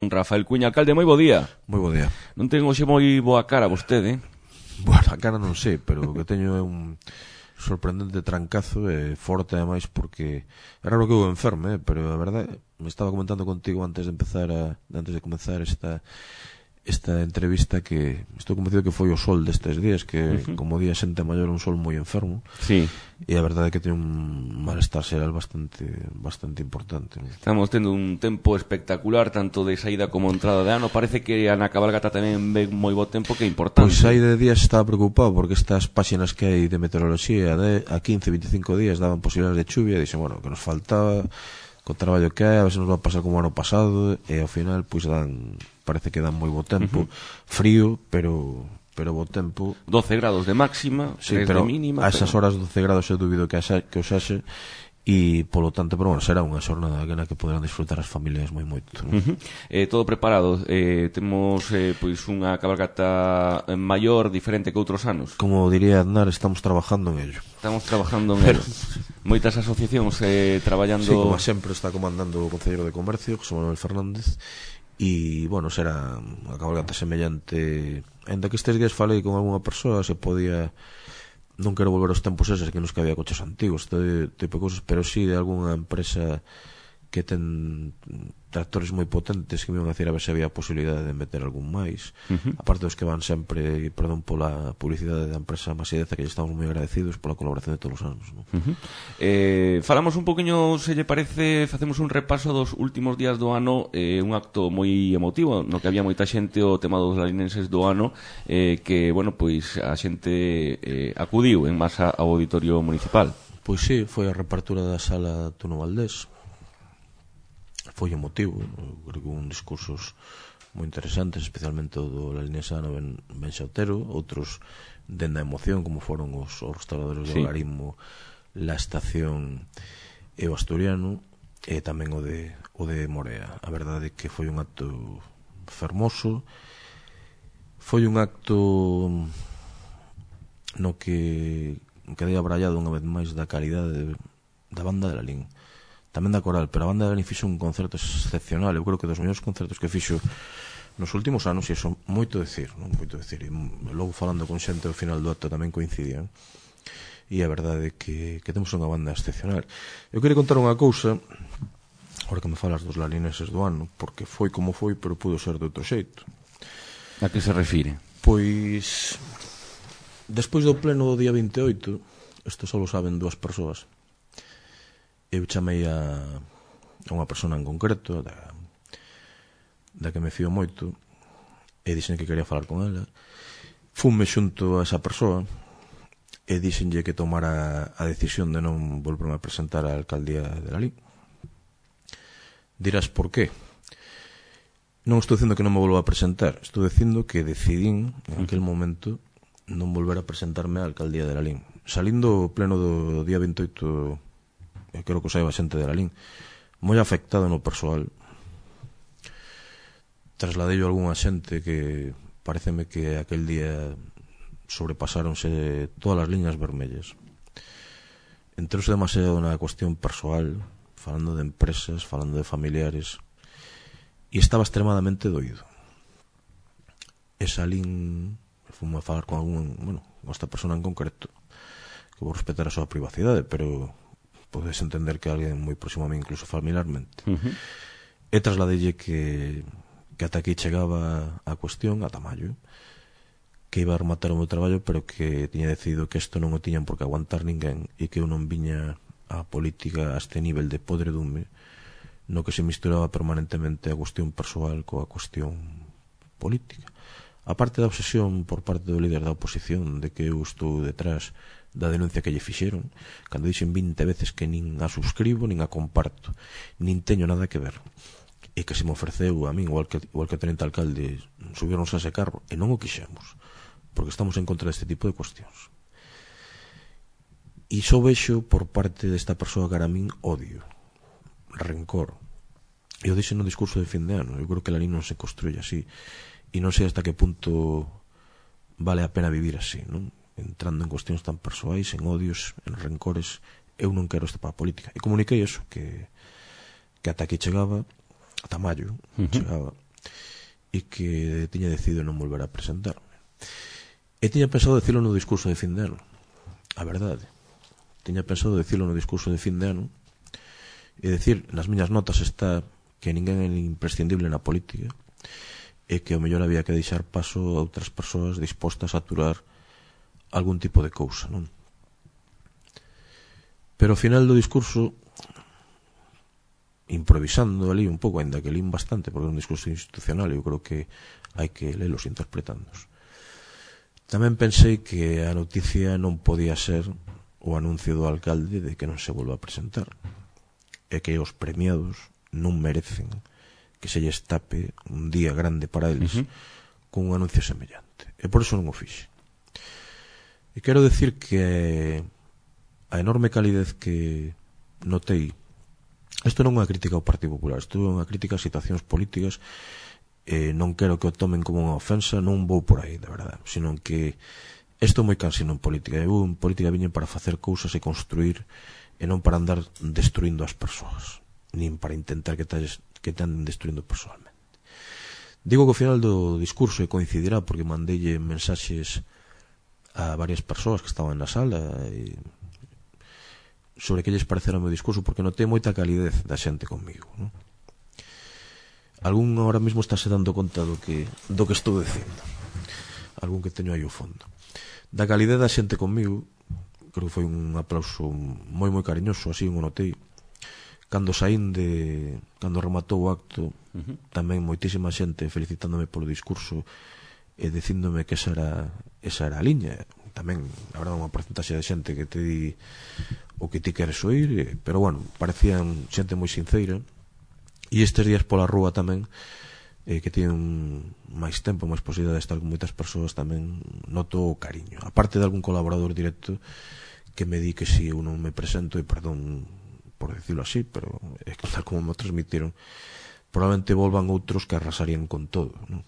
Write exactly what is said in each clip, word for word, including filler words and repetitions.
Rafael Cuña, alcalde, moi bo día. Moi bo día. Non ten hoxe moi boa cara vostede, eh? Bueno, a cara non sei, pero o que teño é un sorprendente trancazo e forte ademais porque é raro que eu enferme, eh? Pero a verdade, me estaba comentando contigo antes de empezar a, antes de comenzar esta esta entrevista que estou convencido que foi o sol destes días, que uh-huh. como día xente maior un sol moi enfermo. Sí. E a verdade é que ten un malestar xeral bastante bastante importante, ¿no? Estamos tendo un tempo espectacular tanto de saída como entrada de ano. Parece que na cabalgata tamén ve moi bo tempo, que é importante. Pois aí de días estaba preocupado porque estas páxinas que hai de meteoroloxía de a quince, veinticinco días daban posibilidades de chuvia, e dixen, bueno, que nos faltaba co traballo que hai, a ver se nos va a pasar como o ano pasado, e ao final pois dan, parece que dan moi bo tempo, uh-huh. frío, pero pero bo tempo. doce grados de máxima, sí, tres pero de mínima. A esas pero... horas doce grados eu dubido que, asa, que os haxe, e polo tanto, pero bueno, será unha xornada na que poderán disfrutar as familias moi moito, ¿no? Uh-huh. Eh, todo preparado, eh, temos eh, pois unha cabalgata maior, diferente que outros anos. Como diría Aznar, estamos trabajando en ello. Estamos trabajando en pero... ello. Moitas asociacións eh, traballando... Sí, como sempre está comandando o Concelleiro de Comercio, José Manuel Fernández, e, bueno, será unha cabalgata semellante. Ainda que estes días falei con algunha persoa, se podía... Non quero volver aos tempos eses que nos que había coches antigos, este tipo de cousas, pero sí de algunha empresa que ten tractores moi potentes que me iban a decir a ver se había posibilidade de meter algún máis, uh-huh. aparte dos que van sempre, e perdón pola publicidade da empresa Masideza, que lle estamos moi agradecidos pola colaboración de todos os anos, ¿no? Uh-huh. eh, Falamos un poquinho, se lle parece, facemos un repaso dos últimos días do ano, eh, un acto moi emotivo no que había moita xente, o tema dos lalinenses do ano, eh, que, bueno, pois a xente eh, acudiu en masa ao auditorio municipal. Pois sí, foi a repartura da sala Tuno Valdés. Foi emotivo, creo que un discursos moi interesantes, especialmente o do lalinesano Ben, ben Xautero, outros dende a emoción, como foron os, os restauradores sí. do Algarismo, La Estación e o Asturiano, e tamén o de, o de Morea. A verdade é que foi un acto fermoso, foi un acto no que quedei abrallado unha vez máis da calidade da banda de Lalín, tamén da coral, pero a banda de Lalín fixo un concerto excepcional. Eu creo que dos mellores concertos que fixo nos últimos anos, e iso moito decir, non moito decir, e logo falando con xente ao final do acto tamén coincidían, e a verdade é que, que temos unha banda excepcional. Eu queria contar unha cousa, ahora que me falas dos lalineses do ano, porque foi como foi, pero pudo ser de outro xeito. A que se refire? Pois despois do pleno do día vinte e oito, isto só lo saben dúas persoas, eu chamei a, a unha persona en concreto da, da que me fío moito, e dixen que quería falar con ela. Fume xunto a esa persoa e dixenlle que tomara a decisión de non volverme a presentar á alcaldía de Lalín. Dirás por qué? Non estou dicindo que non me volva a presentar, estou dicindo que decidín en aquel momento non volver a presentarme á alcaldía de Lalín. Salindo o pleno do día vinte e oito, eu creo que o saiba xente de Lalín, moi afectado no persoal. Trasladei a algunha xente que pareceme que aquel día sobrepasáronse todas as liñas vermellas. Entrouse demasiado na cuestión persoal, falando de empresas, falando de familiares, e estaba extremadamente doído. E salín, fumo a falar con algún, bueno, con esta persona en concreto, que vou respetar a súa privacidade, pero podes entender que alguén moi próximo a mí, incluso familiarmente. Uh-huh. E trasladeille que, que ata aquí chegaba a cuestión, ata maio, que iba a rematar o meu traballo, pero que tiña decidido que isto non o tiñan por que aguantar ninguén, e que eu non viña a política a este nivel de podredume, no que se misturaba permanentemente a cuestión persoal coa cuestión política. A parte da obsesión por parte do líder da oposición de que eu estou detrás da denuncia que lle fixeron, cando dixen vinte veces que nin a subscribo, nin a comparto, nin teño nada que ver, e que se me ofreceu a min, igual que, igual que a tenente alcalde, subirnos a ese carro, e non o quixemos, porque estamos en contra deste tipo de cuestións. E só vexo por parte desta persoa cara a min odio, rencor. E o dixen no discurso de fin de ano, eu creo que Lalín non se construye así, e non sei hasta que punto vale a pena vivir así, non? Entrando en cuestións tan persoais, en odios, en rencores. Eu non quero esta para a política. E comuniquei eso, que, que ata aquí chegaba, ata maio, uh-huh. chegaba, e que tiña decidido non volver a presentarme. E tiña pensado decirlo no discurso de fin de ano, a verdade. Tiña pensado decirlo no discurso de fin de ano e decir, nas miñas notas está que ninguén é imprescindible na política e que o mellor había que deixar paso a outras persoas dispostas a aturar algún tipo de cousa, non? Pero ao final do discurso, improvisando ali un pouco, ainda que lín bastante, porque é un discurso institucional, eu creo que hai que lelos interpretándoos. Tamén pensei que a noticia non podía ser o anuncio do alcalde de que non se volva a presentar, e que os premiados non merecen que se lles tape un día grande para eles uh -huh. con un anuncio semellante, e por iso non o fixe. E quero decir que a enorme calidez que notei, isto non é unha crítica ao Partido Popular, isto é unha crítica a situacións políticas, e non quero que o tomen como unha ofensa, non vou por aí, de verdade, sino que isto é moi cansino en política. Eu en política viñen para facer cousas e construir, e non para andar destruindo as persoas, nin para intentar que te, que te anden destruindo personalmente. Digo que ao final do discurso, e coincidirá porque mandeille mensaxes a varias persoas que estaban na sala e sobre que lles parecera o meu discurso, porque notei moita calidez da xente comigo, non? Algún ahora mesmo estáse dando conta do que do que estou dicindo, algún que teño aí ao fondo. Da calidez da xente comigo, creo que foi un aplauso moi moi cariñoso, así o notei. Cando saín de cando rematou o acto, uh -huh. tamén moitísima xente felicitándome polo discurso e dicíndome que esa era esa era a liña. Tamén habrá unha porcentaxe de xente que te di o que ti queres oír, pero bueno, parecían xente moi sinceira. E estes días pola rúa tamén, eh, que tienen máis tempo, máis posibilidade de estar con moitas persoas, tamén noto o cariño, aparte de algún colaborador directo que me di que si eu non me presento, e perdón por decirlo así, pero é que tal como me transmitiron, probablemente volvan outros que arrasarían con todo, non?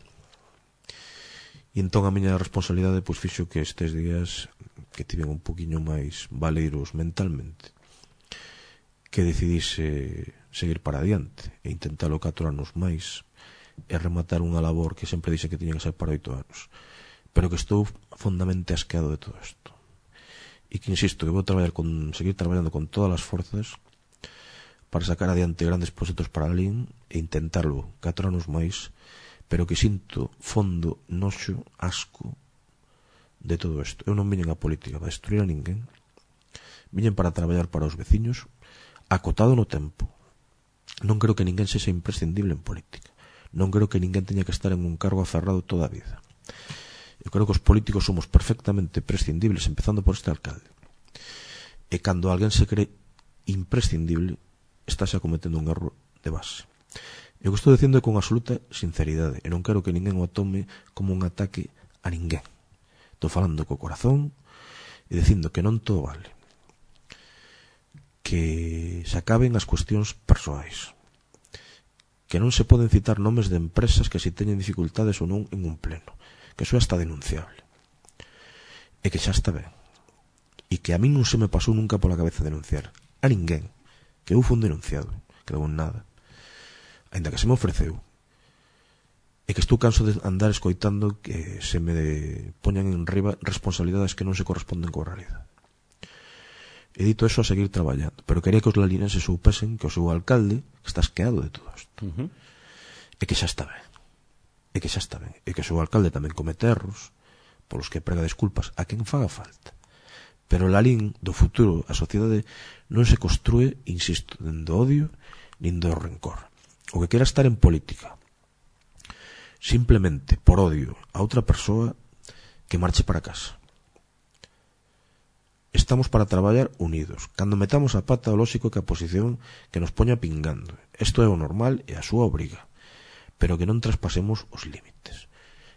E entón a miña responsabilidade pois fixo que estes días que tiven un poquinho máis valeiros mentalmente, que decidise seguir para adiante e intentalo catro anos máis e rematar unha labor que sempre dixe que tiña que ser para oito anos, pero que estou fondamente asqueado de todo isto, e que insisto que vou traballar con, seguir traballando con todas as forzas para sacar adiante grandes proxectos para a L I N e intentarlo catro anos máis, pero que sinto fondo, noxo, asco de todo isto. Eu non viñen a política para destruir a ninguén, viñen para traballar para os veciños, acotado no tempo. Non creo que ninguén sexa imprescindible en política, non creo que ninguén teña que estar en un cargo aferrado toda a vida. Eu creo que os políticos somos perfectamente prescindibles, empezando por este alcalde, e cando alguén se cree imprescindible estáse acometendo un erro de base. Eu que estou dicindo é con absoluta sinceridade, e non quero que ninguén o tome como un ataque a ninguén. Estou falando co corazón e dicindo que non todo vale, que se acaben as cuestións persoais, que non se poden citar nomes de empresas que se teñen dificultades ou non en un pleno, que eso é hasta denunciable, e que xa está ben, e que a mí non se me pasou nunca pola cabeza denunciar a ninguén, que eu fui un denunciado, que debo en nada, ainda que se me ofreceu, e que estou canso de andar escoitando que se me poñan en riba responsabilidades que non se corresponden coa realidade. He dito eso a seguir traballando, pero quería que os lalinenses soupesen que o seu alcalde está asqueado de todo isto, uh -huh. e que xa está ben, e que xa está ben, e que o seu alcalde tamén comete erros polos que prega desculpas a quen faga falta, pero o Lalín do futuro, a sociedade non se construe, insisto, nin do odio nin do rencor. O que quera estar en política simplemente por odio a outra persoa, que marche para casa. Estamos para traballar unidos. Cando metamos a pata, o lóxico que a posición que nos poña pingando. Isto é o normal e a súa obriga, pero que non traspasemos os límites,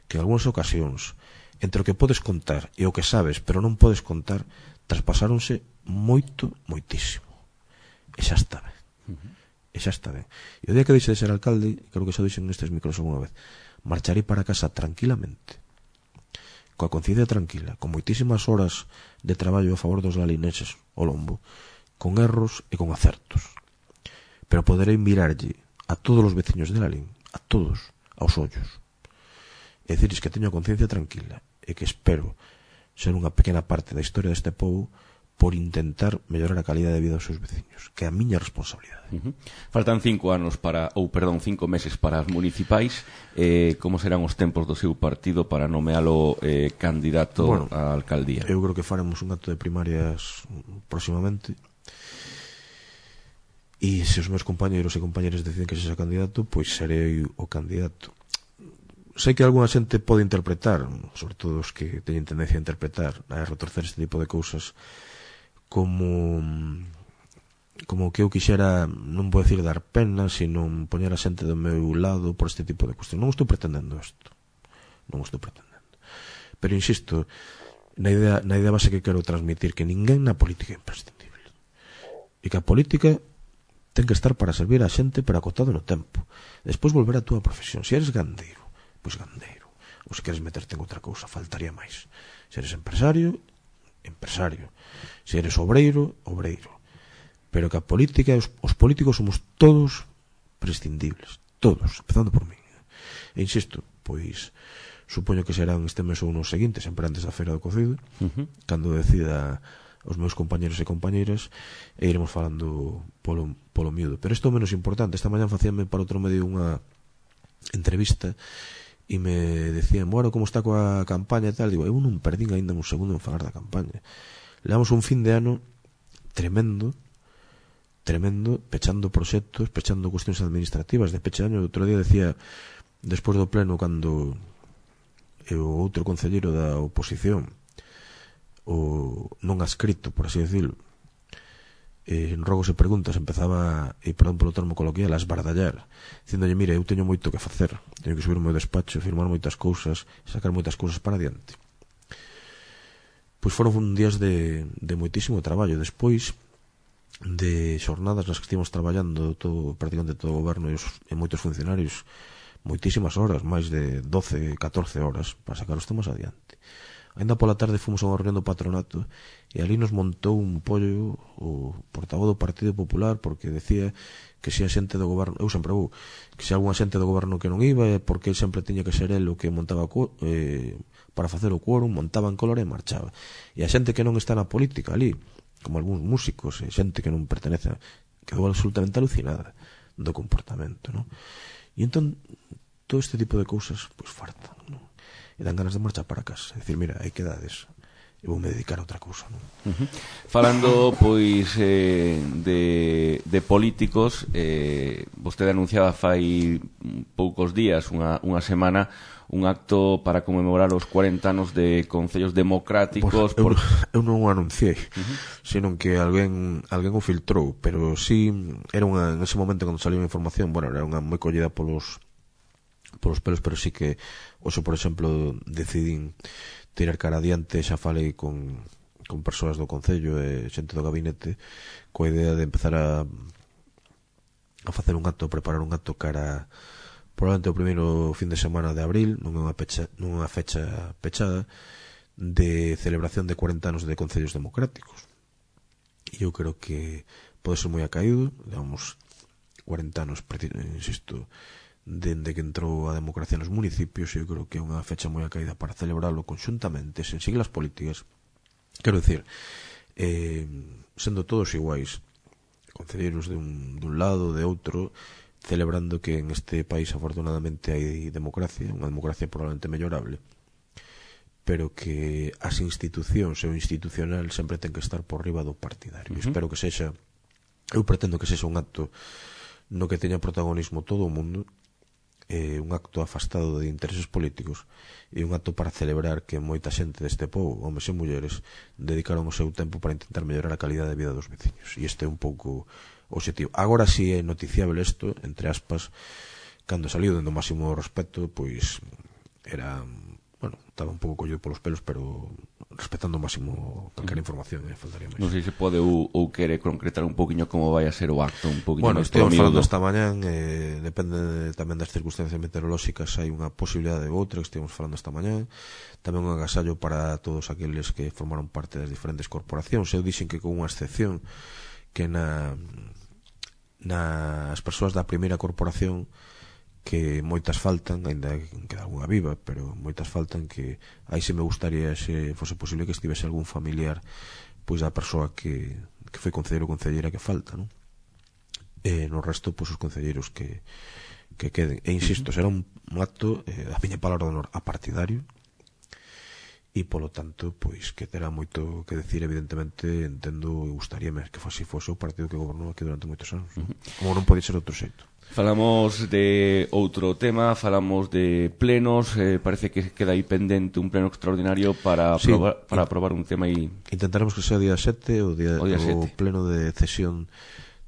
que en algúnas ocasións entre o que podes contar e o que sabes pero non podes contar traspasáronse moito, moitísimo, e xa está ben. Uh -huh. E xa está ben. E o día que deixe de ser alcalde, creo que xa dixen nestes micros alguna vez, marcharei para casa tranquilamente, coa conciencia tranquila, con moitísimas horas de traballo a favor dos lalinenses ao lombo, con erros e con acertos, pero poderei mirarlle a todos os veciños de Lalín, a todos, aos ollos, e dicirles que teño a conciencia tranquila e que espero ser unha pequena parte da historia deste povo por intentar mellorar a calidad de vida dos seus veciños, que é a miña responsabilidade. Uh-huh. Faltan cinco anos para, ou perdón, cinco meses para as municipais. Eh, como serán os tempos do seu partido para nomealo eh, candidato bueno, á alcaldía? Eu creo que faremos un acto de primarias próximamente, e se os meus compañeros e compañeras deciden que sexa candidato, pois serei o candidato. Sei que algunha xente pode interpretar, sobre todo os que teñen tendencia a interpretar, a retorcer este tipo de cousas, como como que eu quixera, non vou decir dar pena, sino poñer a xente do meu lado por este tipo de cuestión. Non estou pretendendo isto, non estou pretendendo, pero insisto na idea, na idea base que quero transmitir, que ninguén na política é imprescindible e que a política ten que estar para servir a xente, pero acotado no tempo. Despois volver a túa profesión. Se eres gandeiro, pois gandeiro, ou se queres meterte en outra cousa, faltaría máis. Se eres empresario, empresario. Se eres obreiro, obreiro. Pero que a política, os, os políticos somos todos prescindibles, todos, empezando por mí. E insisto, pois supoño que serán este mes ou nos seguintes, sempre antes da feira do cocido, uh-huh. cando decida os meus compañeros e compañeiras, e iremos falando polo, polo miúdo. Pero isto é o menos importante. Esta mañá facíame para outro medio unha entrevista e me decían, bueno, como está coa campaña e tal. Digo, eu non perdín ainda un segundo en falar da campaña. Levamos un fin de ano tremendo, tremendo, pechando proxectos, pechando cuestións administrativas de peche año. Outro día decía, despois do pleno, cando o outro concelleiro da oposición, o non adscrito, por así decirlo, en rogos e preguntas, empezaba, e perdón polo termo coloquial, a esbardallar, dicíndolle, mire, eu teño moito que facer, teño que subir o meu despacho, firmar moitas cousas, sacar moitas cousas para adiante. Pois foron días de, de moitísimo traballo. Despois de xornadas nas que estivemos traballando todo, prácticamente todo o goberno e, os, e moitos funcionarios, moitísimas horas, máis de doce, catorce horas para sacar os temas adiante. Ainda pola tarde fomos a unha reunión do patronato e ali nos montou un pollo o portavoz do Partido Popular, porque decía que se a xente do goberno, eu sempre vou, que se algunha xente do goberno que non iba é porque ele sempre tiña que ser el o que montaba eh, para facer o quórum, montaba en color e marchaba. E a xente que non está na política ali, como algúns músicos e xente que non pertenece, quedou absolutamente alucinada do comportamento, non? E entón todo este tipo de cousas pois fartan, non? E dan ganas de marchar para casa, decir, mira, hai quedades, e vou me dedicar a outra cousa, non? Uh-huh. Falando, pois, eh, de, de políticos, eh, vostede anunciaba fai poucos días, unha, unha semana, un acto para conmemorar os cuarenta anos de concellos democráticos. Pues, por... eu, eu non o anunciei, uh-huh. senón que alguén alguén o filtrou, pero sí, era unha, en ese momento cando saliu a información, bueno, era unha moi collida polos polos pelos, pero sí que hoxe, por exemplo, decidín tirar cara adiante. Xa falei con, con persoas do Concello e xente do gabinete coa idea de empezar a a facer un acto, a preparar un acto cara probablemente o primeiro fin de semana de abril, non é unha, pecha, non é unha fecha pechada, de celebración de cuarenta anos de concellos democráticos. E eu creo que pode ser moi acaído, digamos, cuarenta anos, insisto, dende que entrou a democracia nos municipios, e eu creo que é unha fecha moi acaída para celebrarlo conxuntamente, sen siglas políticas. Quero dicir, eh, sendo todos iguais, concelleiros de un, de un lado, de outro, celebrando que en este país afortunadamente hai democracia, unha democracia probablemente mellorable, pero que as institucións e o institucional sempre ten que estar por riba do partidario. Uh-huh. Espero que sexa, eu pretendo que sexa un acto no que teña protagonismo todo o mundo, eh, un acto afastado de intereses políticos, e un acto para celebrar que moita xente deste povo, homes e mulleres, dedicaron o seu tempo para intentar mellorar a calidade de vida dos veciños, e este é un pouco o objetivo. Agora si é noticiable isto, entre aspas, cando saliu dentro do máximo respeto, pois era, bueno, estaba un pouco collido polos pelos, pero respetando o máximo calquera información, eh, faltaría máis. Non sei se pode ou, ou quere concretar un poquinho como vai a ser o acto, un poquinho. Bueno, estivemos falando esta mañán, eh, depende tamén das circunstancias meteorolóxicas, hai unha posibilidade ou outra, que estivemos falando esta mañán, tamén un agasallo para todos aqueles que formaron parte das diferentes corporacións. Eu dixen que con unha excepción, que na, na as persoas da primeira corporación que moitas faltan, ainda queda algunha viva, pero moitas faltan, que aí se me gustaría, se fose posible, que estivese algún familiar pois da persoa que, que foi concelleiro ou concelleira que falta, non? E no resto, pois os concelleiros que, que queden. E insisto, será un, un acto, eh, a miña palabra de honor, apartidario, e polo tanto, pois que terá moito que decir, evidentemente, entendo, e gustaríame que fose, fose o partido que gobernou aquí durante moitos anos, non? Como non pode ser outro xeito. Falamos de outro tema, falamos de plenos, eh, parece que queda aí pendente un pleno extraordinario para sí, aprobar, para aprobar un tema aí. Intentaremos que sea o día sete, o, día, o, día o pleno de cesión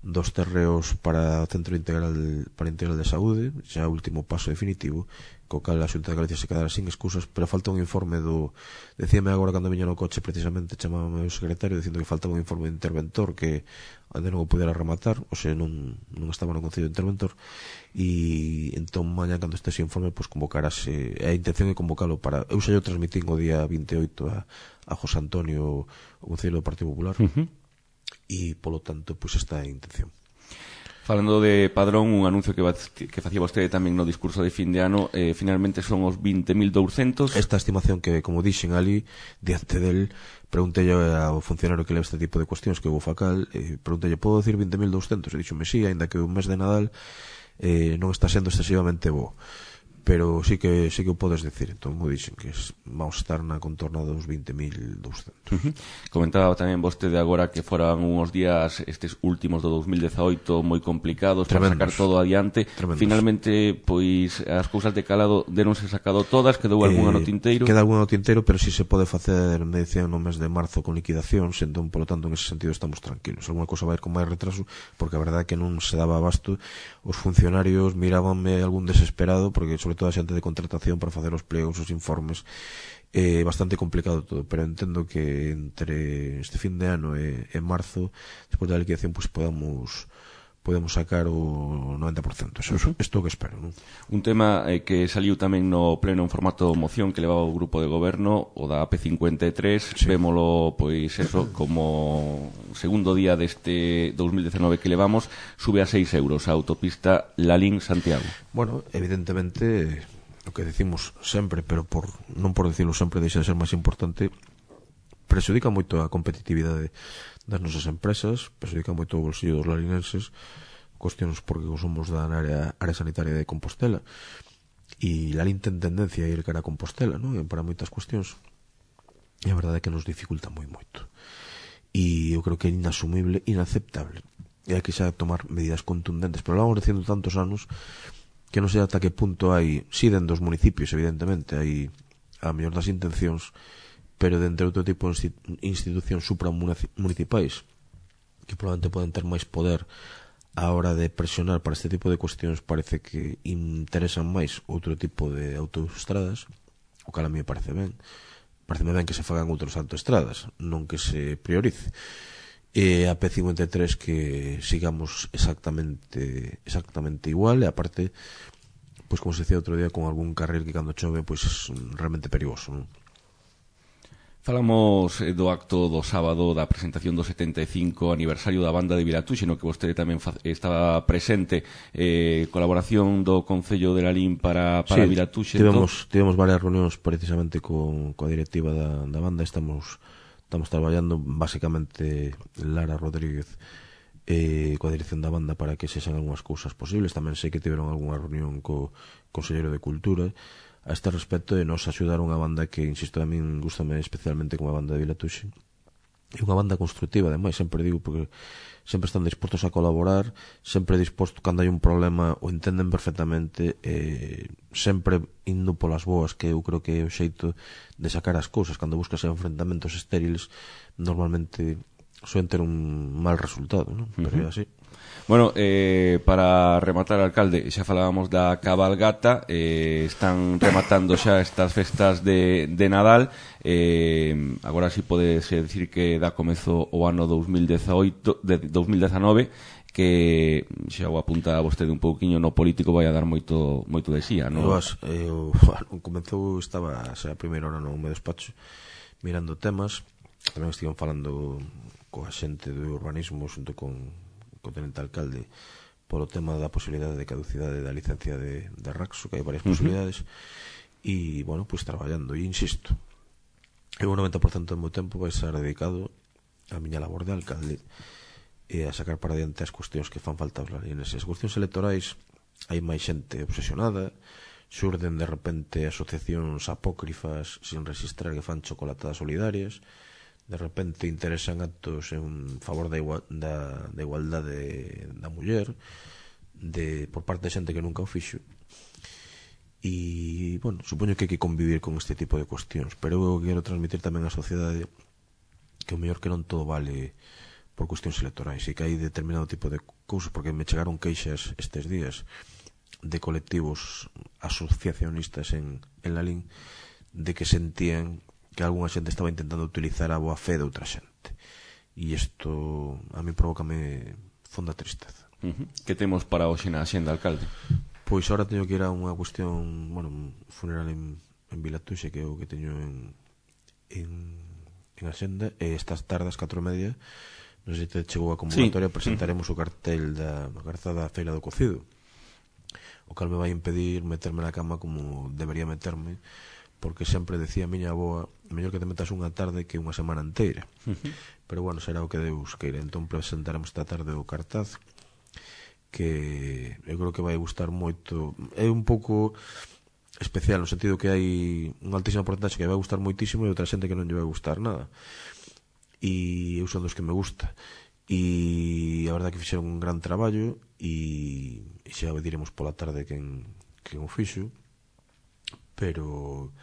dos terreos para o Centro Integral para Integral de Saúde, xa o último paso definitivo, co cal a Xunta de Galicia se quedará sin excusas, pero falta un informe do... Decíame agora cando viña no coche, precisamente, chamábame o secretario dicindo que faltaba un informe de interventor que ainda non o pudera rematar, ou sea, non, non estaba no Concello de Interventor, e entón mañá cando este informe, pois convocarase, a intención é convocalo para... Eu xa yo transmitín o día vinte e oito a, a José Antonio, o Concello do Partido Popular, uh-huh. e polo tanto, pois esta é a intención. Falando de Padrón, un anuncio que, va, que facía vostede tamén no discurso de fin de ano, eh, finalmente son os vinte mil douscentos. Esta estimación que, como dixen ali, diante del, preguntei ao funcionario que leva este tipo de cuestións, que é o Facal, eh, preguntei, podo decir vinte mil douscentos? E dixome, sí, ainda que o mes de Nadal eh, non está sendo excesivamente bo. Pero sí que sí que o podes decir. Entón, mo dixen que vamos a estar na contorna dos vinte mil douscentos. Uh-huh. Comentaba tamén vostede agora que foran uns días estes últimos do dos mil dezaoito moi complicados para sacar todo adiante. Tremendos. Finalmente, pois as cousas de calado deronse sacado todas, quedou algunha eh, no tinteiro. Queda algunha no tinteiro, pero si sí se pode facer medición no mes de marzo con liquidacións, entón, polo tanto, en ese sentido estamos tranquilos. Alguna cousa vai ir con máis retraso, porque a verdade é que non se daba abasto. Os funcionarios mirábanme algún desesperado, porque sobre toda a xente de contratación para facer os plegos, os informes, é eh, bastante complicado todo, pero entendo que entre este fin de ano e, e marzo, despois da liquidación, pois podamos podemos sacar o noventa por cento. Eso, uh-huh. Isto que espero, non? Un tema eh, que saliu tamén no pleno en formato moción que levaba o grupo de goberno, o da A P cincuenta e tres, sí. Vémolo, pois, eso, como segundo día deste dos mil dezenove que levamos, sube a seis euros a autopista Lalín-Santiago. Bueno, evidentemente, o que decimos sempre, pero por non por decirlo sempre deixa de ser máis importante, prexudica moito a competitividade das nosas empresas, prexudica moito o bolsillo dos larinenses, cuestiones porque somos da área, área sanitaria de Compostela, e Lalín ten tendencia a ir cara a Compostela, non? Para moitas cuestións, e a verdade é que nos dificulta moi moito, e eu creo que é inasumible, inaceptable, e hai que xa tomar medidas contundentes, pero lo vamos dicindo tantos anos que non sei ata que punto hai, si dentro dos municipios, evidentemente, hai a mellor das intencións, pero dentro de outro tipo de institucións supramunicipais que probablemente poden ter máis poder a hora de presionar para este tipo de cuestións, parece que interesan máis outro tipo de autoestradas, o cal a mí me parece ben. Pareceme ben que se fagan outros autoestradas, non que se priorice. E a P cincuenta e tres que sigamos exactamente exactamente igual, e aparte, pois como se decía outro día, con algún carril que cando chove pois é realmente perigoso, non? Falamos do acto do sábado da presentación do setenta e cinco aniversario da banda de Vilatuxe, no que vostede tamén estaba presente, eh, colaboración do Concello de Lalín para, para sí, Vilatuxe. Tivemos, tivemos varias reunións precisamente con, coa directiva da, da banda. Estamos, estamos traballando basicamente Lara Rodríguez eh, coa dirección da banda para que se xan algunhas cousas posibles. Tamén sei que tiveron algunha reunión co Conselleiro de Cultura a este respecto, e nos axudaron a banda que, insisto, a min gustame especialmente como a banda de Vilatuxe. É unha banda constructiva, ademais, sempre digo, porque sempre están dispostos a colaborar, sempre dispostos, cando hai un problema, o entenden perfectamente, eh, sempre indo polas boas, que eu creo que é o xeito de sacar as cousas. Cando buscas enfrentamentos estériles, normalmente suelen ter un mal resultado, non? Pero é así. Bueno, eh, para rematar, alcalde, xa falábamos da cabalgata, eh, están rematando xa estas festas de, de Nadal, eh, agora si podese decir que dá comezo o ano dos mil dezaoito, de dos mil dezanove, que xa o apunta vostede un pouquiño no político, vai a dar moito moito de xía, non? Eu, eu, bueno, comenzou, estaba xa a primeira hora no meu despacho mirando temas, tamén estiven falando coa xente do urbanismo xunto con o tenente alcalde polo tema da posibilidade de caducidade da licencia de, de Raxo, que hai varias posibilidades, e, bueno, pois traballando, e insisto, eu o noventa por cento do meu tempo vai ser dedicado a miña labor de alcalde e a sacar para diante as cuestións que fan falta aos larineses. As cuestións electorais hai máis xente obsesionada, xurden de repente asociacións apócrifas sin registrar que fan chocolatadas solidarias, de repente interesan actos en favor da, igual, da, da igualdade da muller de, por parte de xente que nunca o fixo, e, bueno, supoño que hai que convivir con este tipo de cuestións, pero eu quero transmitir tamén á sociedade que o mellor que non todo vale por cuestións electorais, e que hai determinado tipo de cousas, porque me chegaron queixas estes días de colectivos asociacionistas en, en Lalín de que sentían que algunha xente estaba intentando utilizar a boa fe de outra xente, e isto a mí provócame fonda tristeza. Uh-huh. Que temos para hoxe na axenda, alcalde? Pois ahora teño que ir a unha cuestión, bueno, un funeral en, en Vilatuxe, que é o que teño en en, en axenda, e estas tardes, catro e media, non sei se te chegou a convocatoria, sí. Presentaremos o cartel da garza da Feira do Cocido, o cal me vai impedir meterme na cama como debería meterme, porque sempre decía a miña avoa, mellor que te metas unha tarde que unha semana inteira. Uh-huh. Pero bueno, será o que Deus queira. Entón presentaremos esta tarde o cartaz, que eu creo que vai gustar moito. É un pouco especial no sentido que hai unha altísima porcentaxe que vai gustar moitísimo e outra xente que non lle vai gustar nada, e eu son dos que me gusta, e a verdade que fixeron un gran traballo, e xa diremos pola tarde quen, quen o fixo, pero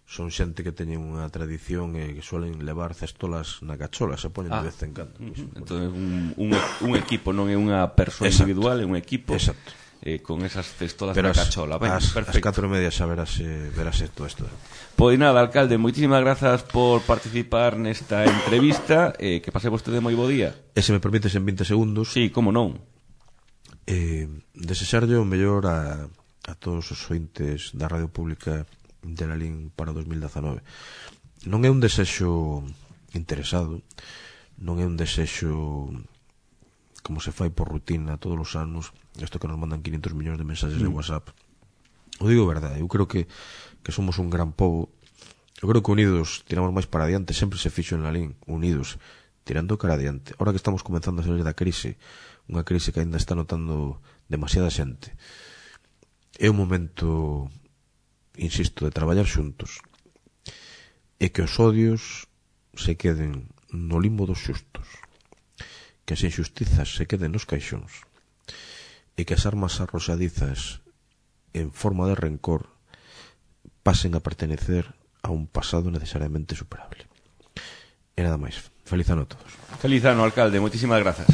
son xente que teñen unha tradición e que suelen levar cestolas na cachola, se poñen ah. de vez en cando. Uh-huh. Entón é un, un, un equipo, non é unha persoa individual, é un equipo. Exacto. Eh, con esas cestolas pero na cachola. Ben, as, perfecto. As catro e media xa verase, verase todo isto. Pois nada, alcalde, moitísimas grazas por participar nesta entrevista, eh, que pase vostede moi bo día. E se me permites en vinte segundos. Sí, como non. Eh, desexarlle o mellor a, a todos os ointes da Radio Pública de Lalín para dos mil dezanove. Non é un desexo interesado, non é un desexo como se fai por rutina todos os anos, isto que nos mandan quinientos millóns de mensaxes mm. de WhatsApp. O digo verdade, eu creo que, que somos un gran pobo, eu creo que unidos tiramos máis para adiante, sempre se fixo en Lalín, unidos, tirando cara adiante. Ahora que estamos comenzando a salir da crise, unha crise que ainda está notando demasiada xente, é un momento, insisto, de traballar xuntos, e que os odios se queden no limbo dos xustos, que as injustizas se queden nos caixóns, e que as armas arroxadizas en forma de rencor pasen a pertenecer a un pasado necesariamente superable. E nada máis. Feliz ano a todos. Feliz ano, alcalde. Moitísimas grazas.